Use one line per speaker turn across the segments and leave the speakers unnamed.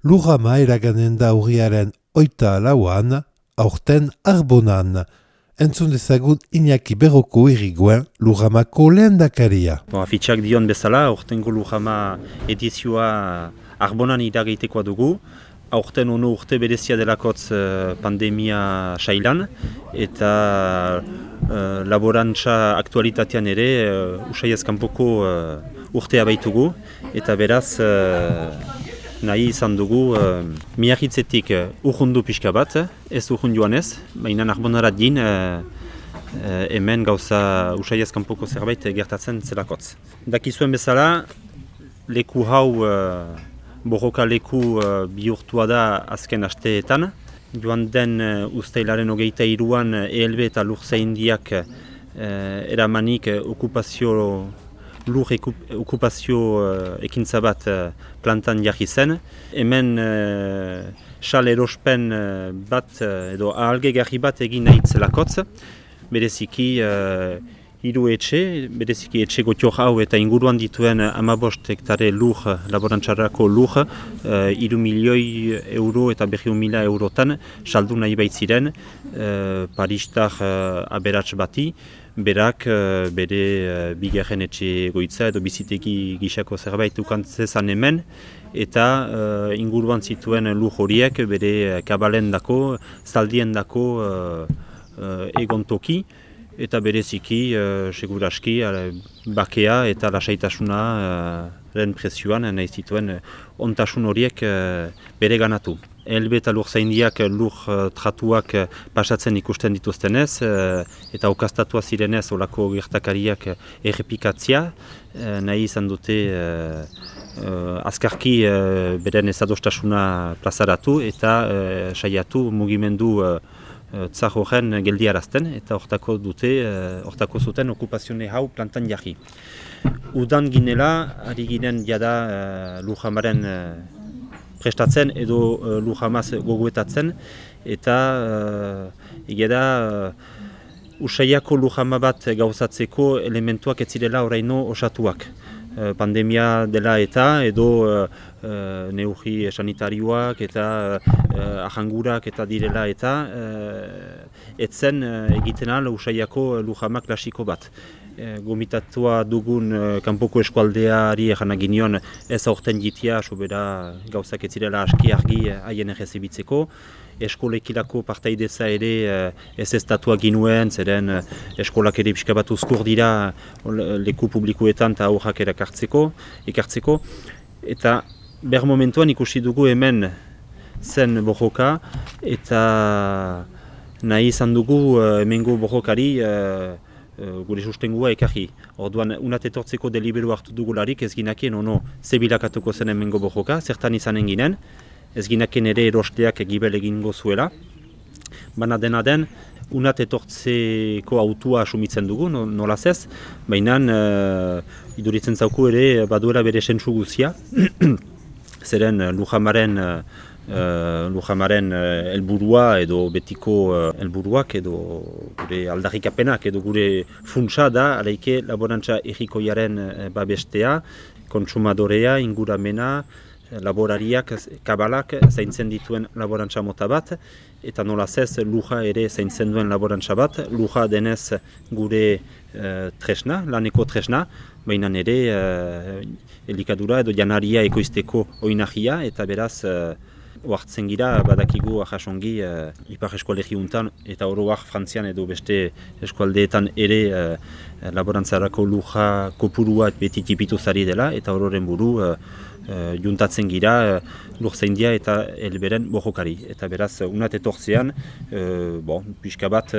Lujama eraganen da urriaren 8 aurten Arbonan. Entzun dezagun Iñaki Berroko iriguen Lujamako lehendakaria.
Afitxak dion bezala, aurtengo Lujama edizioa Arbonan iragaitekoa dugu. Aurten ono urte berezia delakotz pandemia sailan eta laborantza aktualitatean ere usaiaz kanpoko urtea baitugu eta beraz nahi izan dugu miarritzetik urrundu pixka bat, ez urrun joan ez, baina Arbonarat din hemen gauza usaiaz kanpoko zerbait gertatzen zelakotz. Dakizuen bezala, leku hau borroka leku bihurtua da azken asteetan. Joan den uztailaren 23an ELB eta Lurzaindiak eramanik okupazio ekintza bat plantan jarri zen. Hemen xal erospen bat edo ahalgegarri bat egin nahi zelakotz. Bereziki hiru etxe, bereziki etxe gotior hau eta inguruan dituen 15 hektare lur, laborantzarako lur, 3 milioi euro eta 200.000 eurotan saldu nahi baitziren Paristar aberats bati, berak bere bigarren etxe goitza edo bizitegi gisako zerbait ukantzezan hemen, eta inguruan zituen lur horiek bere kabalendako, zaldiendako egontoki, eta bereziki, seguraski, bakea eta lasaitasuna prezioan nahi zituen ontasun horiek bere ganatu. ELB eta Lurzaindiak lur tratuak pasatzen ikusten dituztenez eta okastatua zirenez olako gertakariak errepikatzia, nahi izan dute azkarki beren ezadostasuna plazaratu eta saiatu mugimendu tzar horren geldiarazten eta hortako zuten okupazione hau plantan jarri. Udan ginela, ari ginen jada Lujamaren prestatzen edo Lujamaz gogoetatzen eta egeda usaiako Lujama bat gauzatzeko elementuak ez zirela oraino osatuak. Pandemia dela eta edo neurri sanitarioak eta ahangurak eta direla eta etzen egiten al usaiako Lujama klasiko bat. Gomitatua dugun kanpoko eskualdeari eranak ginion ez aurten jitia, sobera gauzak ez zirela aski argi haien errezibitzeko. Eskolekilako partaideza ere ez estatua ginuen, zeren eskolak ere pixka bat uzkur dira leku publikoetan eta aurrak ekartzeko. Eta ber momentuan ikusi dugu hemen zen borroka eta nahi izan dugu hemengo borrokari gure sustengua ekarri. Orduan, unat etortzeko deliberu hartu dugularik ez ginakien ono zebilakatuko zen hemengo borroka, zertan izanen ginen. Ez ginaken ere erosteak gibel egingo zuela. Baina dena den, unat etortzeko autua asumitzen dugu, nolaz ez, baina iduritzen zauku ere baduela bere sentsu guzia. Zeren Lujamaren helburua edo betiko helburuak edo gure aldarrikapenak edo gure funtsa da, alaike laborantza errikoiaren babestea, kontsumadorea, inguramena, laborariak, kabalak zaintzen dituen laborantza mota bat, eta nolaz ez luja ere zaintzen duen laborantza bat, luja denez gure tresna, laneko tresna, baina ere elikadura edo janaria ekoizteko oinahia, eta beraz oartzen gira badakigu ahasongi ipar eskualegi untan eta oroak Frantzian edo beste eskualdeetan ere laborantzarako luja kopurua beti tipitu zari dela eta ororen buru juntatzen gira Lurzaindia eta ELBren borrokari. Eta beraz, unat etortzean, pixka bat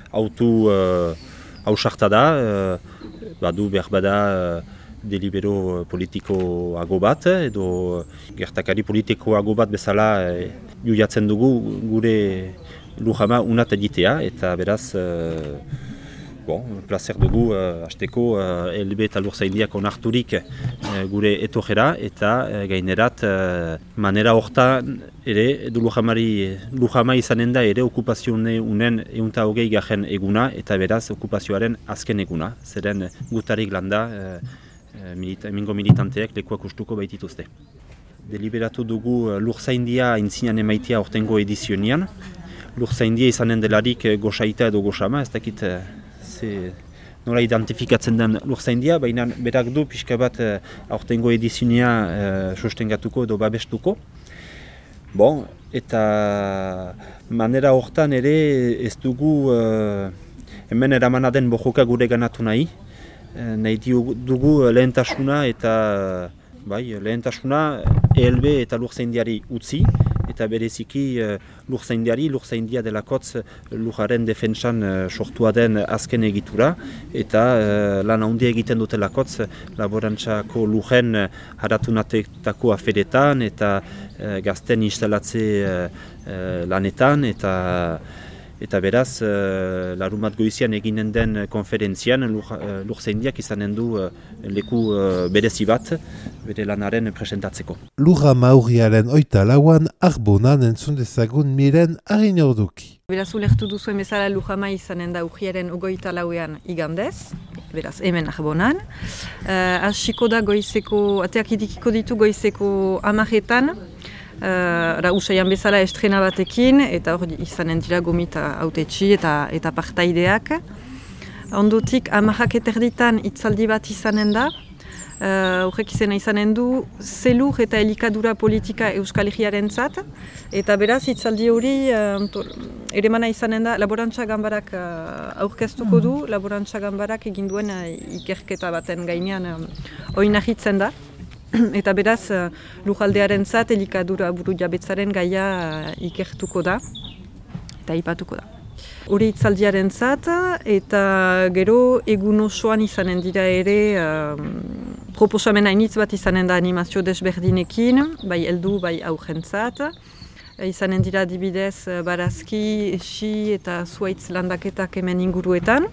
autu hausarta da, badu behar bada delibero politikoago bat, edo gertakari politikoago bat bezala juiatzen dugu gure Lujama unat egitea, eta beraz, placer dugu hasteko ELB eta Lurzaindiak onarturik gure etorera eta gainerat manera hortan ere Lujama izanen da ere okupazione unen 120 eguna eta beraz okupazioaren azken eguna, zeren gutarik landa hemengo militanteak lekuak ustuko baitituzte. deliberatu dugu lurzaindia intzinan emaitia aurtengo edizionian. Lurzaindia izanen delarik gosaita edo gosama, ez dakit nola identifikatzen den lurzaindia, baina berak du pixka bat aurtengo edizionia sostengatuko edo babestuko. Bon, eta manera hortan ere ez dugu hemen eramana den bojoka gure ganatu nahi. Nahi dugu lehentasuna eta lehentasuna ELB eta lurzaindiari utzi, eta bereziki lurzaindia delakotz lujaren defentsan sortua den azken egitura, eta lan handia egiten dutelakotz laborantzako lujen haratunateko aferetan eta gazten instalatze lanetan, eta beraz, larumat goizian eginen den konferentzian lurzaindiak izanen du leku berezi bat bere lanaren presentatzeko.
Lurrama urriaren 24an Arbonan entzun dezagun Miren Arinorduki.
Beraz, ulertu duzuen bezala Lurrama izanen da urriaren 24ean igandez, beraz hemen Arbonan. Hasiko da goizeko, ateak idikiko ditu goizeko 10etan, usaian bezala estrena batekin, eta hor izanen dira gomita autetxi eta partaideak. Ondotik 10:00 hitzaldi bat izanen da. Horrek izena izanen du zelur eta elikadura politika Euskal Herriarentzat, eta beraz hitzaldi hori eremana izanen da laborantza ganbarak aurkeztuko du, laborantza ganbarak egin duen ikerketa baten gainean oinahitzen da. Eta beraz, lujaldearentzat elikadura burujabetzaren gaia ikertuko da eta aipatuko da. Hori hitzaldiarentzat, eta gero egun osoan izanen dira ere proposamen hainitz bat izanen da animazio desberdinekin, bai heldu bai aurrentzat. Izanen dira adibidez barazki, esi eta zuaitz landaketak hemen inguruetan.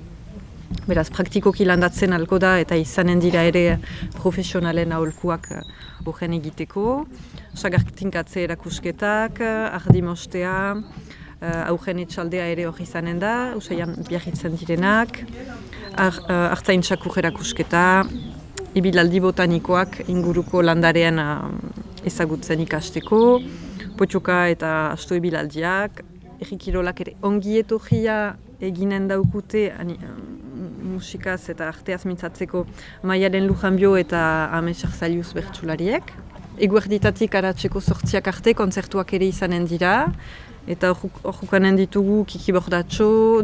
Beraz, praktikoki landatzen alko da eta izanen dira ere profesionalen aholkuak horren egiteko. Sagartinkatze erakusketak, ardimostea, aurren etxaldea ere hori izanen da, usaian biarritzen direnak, artzaintzakur erakusketa, ibilaldi botanikoak inguruko landarean ezagutzen ikasteko, potxoka eta asto ibilaldiak, errikirolak ere ongi etorria eginen daukute musikaz eta arteaz mintzatzeko Maialen Lujanbio eta Amesak Zailuz bertsulariek. Eguerditatik aratzeko 8 arte kontzertuak ere izanen dira, eta hor jukanen ditugu Kiki Bordatxo,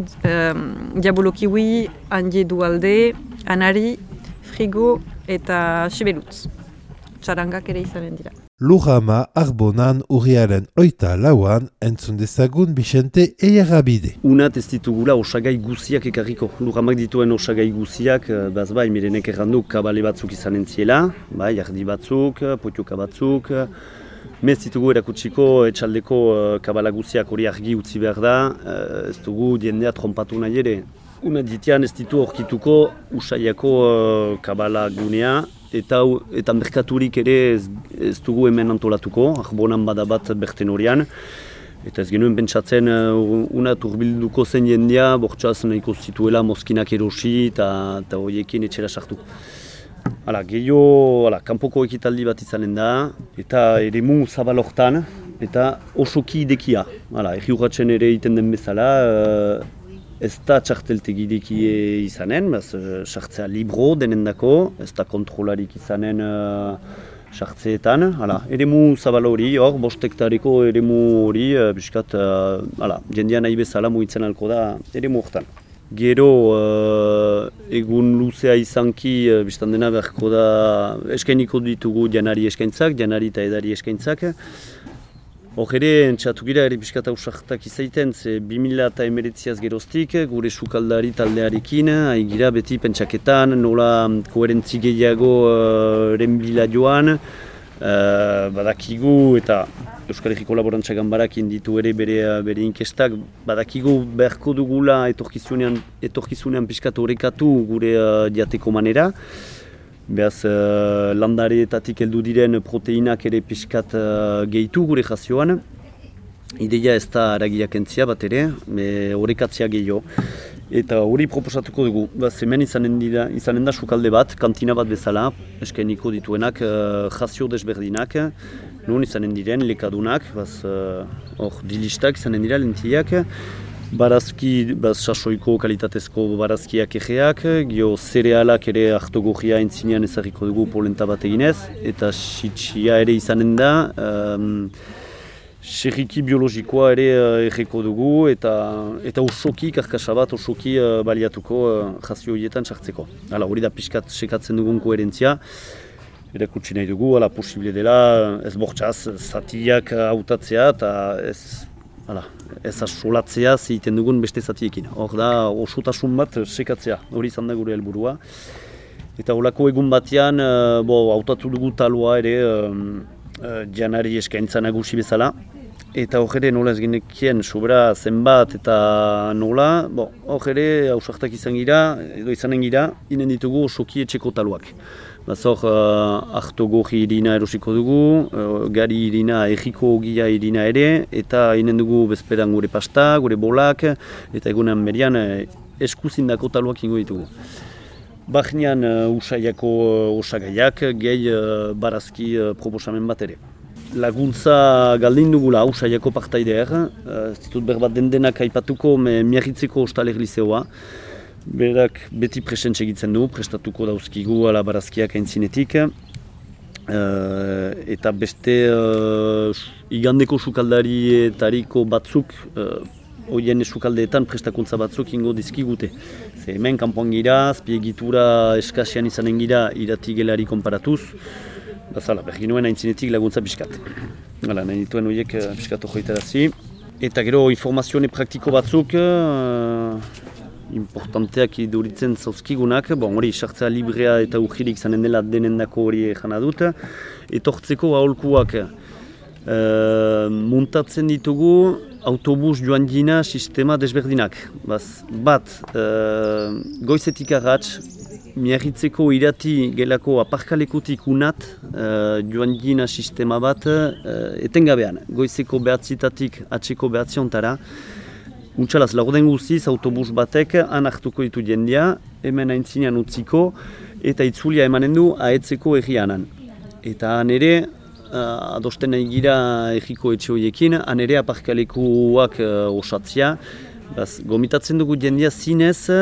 Diabolo Kiwi, Andie Dualde, Anari, Frigo eta Sibelutz. Txarangak ere izanen dira.
Lurrama Arbonan urriaren 24an entzun dezagun Bixente Eiarabide.
Unat ez ditugula osagai guziak ekarriko. Lurramak dituen osagai guziak, bai, Mirenek errandu kabale batzuk izanen ziela, bai, ardi batzuk, potioka batzuk, mez ditugu erakutsiko etxaldeko kabala guziak hori argi utzi behar da, ez dugu jendea trompatu nahi ere. Unat ditian ez ditu horkituko usaiako kabala gunea, eta merkaturik ere ez dugu hemen antolatuko, Arbonan badabat berten horian. Eta ez genuen pentsatzen unat urbilduko zen jendea, bortxaz nahiko zituela mozkinak erosi eta horiekin etxera sartu. Gehiago, kanpoko ekitaldi bat izanen da, eta eremu zabal hortan, eta osoki idekia. Erriurratzen ere egiten den bezala, ez da txarteltegi idekie izanen, sartzea libro denendako, ez da kontrolarik izanen sartzeetan. Eremu zabal hori, bost hektareko eremu hori, biskat, jendean nahi bezala mugitzen alko da eremu hortan. Gero egun luzea izanki, biztan dena beharko da eskainiko ditugu janari eskaintzak, janari eta edari eskaintzak. Hor ere, entxatugira ere pixkata usartak izaiten, 2019az geroztik, gure sukaldari taldearekin, haigira beti pentsaketan, nola koherentzi gehiago renbila joan, badakigu eta Euskal Herriko Laborantza Ganbarakin ditu ere bere inkestak, badakigu beharko dugula etorkizunean pixkat horrekatu gure diateko manera. Beaz, landareetatik heldu diren proteinak ere pixkat gehitu gure jazioan. Ideia ez da aragiak entzia bat ere, horrekatzea gehiago. Eta hori proposatuko dugu. Hemen izanen da sukalde bat, kantina bat bezala, eskainiko dituenak jazio desberdinak. nun izanen diren lekadunak, hor dilistak izanen dira lentiak, barazki, sasoiko kalitatezko barazkiak egeak, gio zerealak ere hartogogia entzinean ezagiko dugu polenta bat eginez, eta sitsia ere izanen da, serriki biologikoa ere egeko dugu, eta osoki, karkasa bat osoki baliatuko jazio horietan sartzeko. Hori da pixkat sekatzen dugun koherentzia, erakutsi nahi dugu, posible dela, ez bortxaz, zatiak hautatzea eta ez asolatzea zeiten dugun beste zatiekin. Hor da, osotasun bat sekatzea, hori izan da gure helburua. Eta holako egun batean, hautatu dugu talua ere janari eskaintza nagusi bezala. Eta hor ere nola ez genekien sobera zenbat eta nola, hor ere hausartak izan gira, edo izanen gira, inen ditugu osoki etxeko taluak. Hor hartogogi irina erosiko dugu, gari irina, egiko ogia irina ere, eta inen dugu bezperan gure pasta, gure bolak, eta egunean berian eskuzindako taluak ingo ditugu. Bahnean usaiako osagaiak, gehi barazki proposamen bat ere. Laguntza galdin dugula usaiako partaideak, ez ditut berbat dendenak aipatuko miarritzeko ostaler lizeoa. Berak beti presentse egitzen du, prestatuko dauzkigu ala barazkiak aintzinetik. Eta beste igandeko sukaldarietariko batzuk, horien sukaldeetan prestakuntza batzuk ingo dizkigute. Hemen kanpoan gira, azpiegitura eskasian izanen gira irati gelari konparatuz. Bergin nuen aintzinetik laguntza pixkat. Nahi dituen horiek pixkat ojoitarazi. Eta gero informazione praktiko batzuk, importanteak iduritzen zauzkigunak, hori sartzea librea eta urgirik zanen dela denendako hori jana dut. Etortzeko aholkuak muntatzen ditugu autobus joan dina sistema desberdinak. Bat, goizetik arratz, miarritzeko irati gelako aparkalekutik unat joan dina sistema bat etengabean. Goizeko behatzitatik atzeko behatziontara. Untxalaz, laurden guztiz autobus batek han hartuko ditu jendia, hemen aintzinean utziko, eta itzulia emanen du ahetzeko egianan. Eta han ere, adosten nahi gira egiko etxe horiekin, han ere aparkalekuak osatzea. Gomitatzen dugu jendia zinez,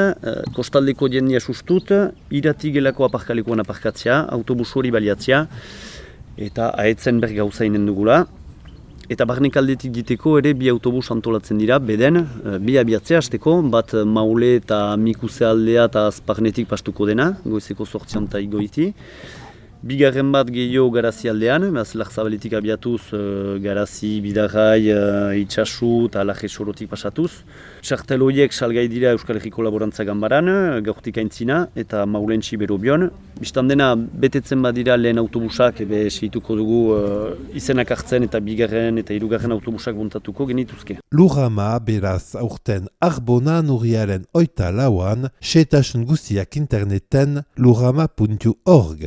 kostaldeko jendia sustut, irati gelako aparkalekuan aparkatzea, autobus hori baliatzea, eta ahetzen bergauzainen dugula. Eta barnek aldetik diteko ere bi autobus antolatzen dira, beden, bi abiatzea hasteko, bat Maule eta Mikuse aldea eta Azparnetik pastuko dena, goizeko 8 eta igoiti. Bigarren bat gehiago Garazi aldean, Larzabaletik abiatuz Garazi, Bidarrai, Itxasu eta Laje Sorotik pasatuz. Txartel horiek salgai dira Euskal Herriko Laborantza Ganbaran, gaurtik aintzina eta Maulentsi Berobion. Bistan dena betetzen badira lehen autobusak, segituko dugu izenak hartzen eta bigarren eta hirugarren autobusak buntatuko genituzke.
Lurama beraz aurten Arbonan urriaren 24an, xehetasun guztiak interneten lurama.org.